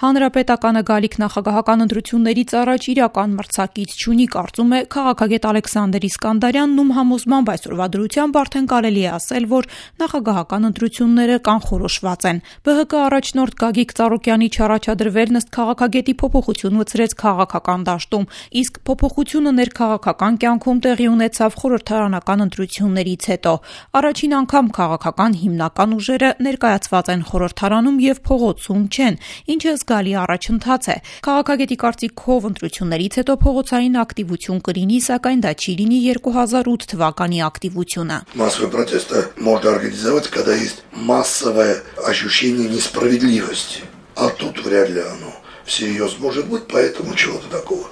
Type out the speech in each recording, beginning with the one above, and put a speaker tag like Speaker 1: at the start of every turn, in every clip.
Speaker 1: Հանրապետականը գալիք նախագահական ընտրություններից առաջ իրական մրցակից չունի, կարծում է քաղաքագետ Ալեքսանդր Իսկանդարյանն, ում համոզմամբ այսօրվա դրությամբ արդեն կարելի է ասել, որ նախագահական ընտրությունները կանխորոշված են։ ԲՀԿ առաջնորդ Գագիկ Ծառուկյանի չառաջադրվելն ըստ քաղաքագետի փոփոխություն մտցրեց քաղաքական դաշտում, իսկ փոփոխությունը ներքաղաքական կյանքում տեղի ունեցավ խորհրդարանական ընտրություններից հետո։ Առաջին անգամ քաղաքական հիմնական ուժերը ներկայացված են խորհրդարանում եւ փողոցում չեն, ինչը զգալի առաջընթաց է։ Քաղաքագետի կարծիքով ընտրություններից հետո փողոցային ակտիվություն կլինի, сакայն դա չի լինի 2008 թվականի ակտивությունը։
Speaker 2: Массовый протест можно организовать, когда есть массовое ощущение несправедливости. А тут вряд ли оно всерьез может быть, поэтому чего-то такого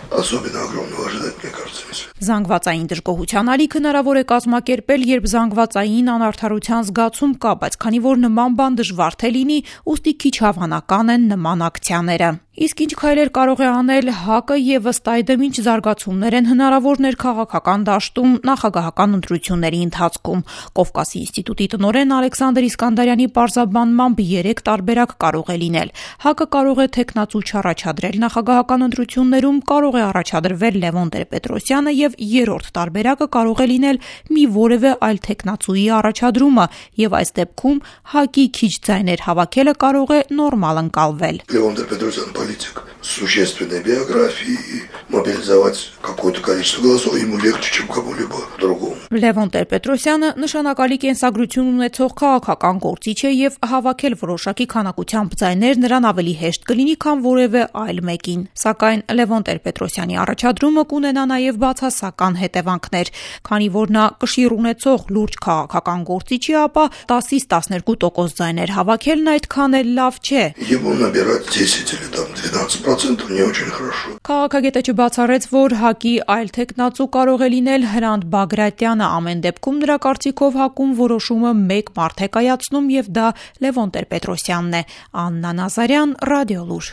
Speaker 2: особенно огромного ожидать, мне кажется, нельзя.
Speaker 1: Զանգվածային դժգոհության ալիք հնարավոր է կազմակերպել, երբ զանգվածային անարդարության զգացում կա, բայց քանի որ նման բան դժվար թե լինի, ուստի քիչ հավանական են նման ակցիաները։ Իսկ ինչ քայլեր կարող է անել ՀԱԿ-ը եւ ըստ այդմ ինչ զարգացումներ են հնարավոր ներքաղաքական դաշտում նախագահական ընտրությունների ընթացքում։ Կովկասի ինստիտուտի տնօրեն Ալեքսանդր Իսկանդարյանի պարզաբանմամբ 3 տարբերակ կարող է լինել։ ՀԱԿ-ը կարող է թեկնածու չառաջադրել նախագահական ընտրություններում, կարող է առաջադրվել Լևոն Տեր-Պետրոսյանը եւ երրորդ տարբերակը կարող է լինել մի որևէ այլ թեկնածուի առաջադրումը եւ այս դեպքում ՀԱԿ-ի քիչ ձայներ հավաքելը կարող է նորմալ ընկալվել։
Speaker 2: Левон Тер-Петросян политик с существенной биографией, и мобилизовать какое-то количество голосов ему легче, чем кому-либо другому.
Speaker 1: Լևոն Տեր-Պետրոսյանը նշանակալի կենսագրություն ունեցող քաղաքական գործիչ է եւ հավաքել որոշակի քանակությամբ ձայներ նրան ավելի հեշտ կլինի, քան որևէ այլ մեկին։ Սակայն Լևոն Տեր-Պետրոսյանի առաջադրումը կունենա նաեւ բացասական հետևանքներ, քանի որ նա կշիռ ունեցող լուրջ քաղաքական գործիչ է, ապա 10-ից 12% ձայներ հավաքելն այդքան էլ լավ չէ։
Speaker 2: Ему набирать 10 или там 12% не очень хорошо.
Speaker 1: Քաղաքագետը չբացառեց, որ ՀԱԿ-ի այլ թեկնածու կարող է լինել Հրանտ Բագրատյանը, ամեն դեպքում նրա կարծիքով ՀԱԿ-ում որոշումը մեկ մարդ է կայացնում եւ դա Լևոն Տեր-Պետրոսյանն է։ Աննա Նազարյան, Ռադիոլուր։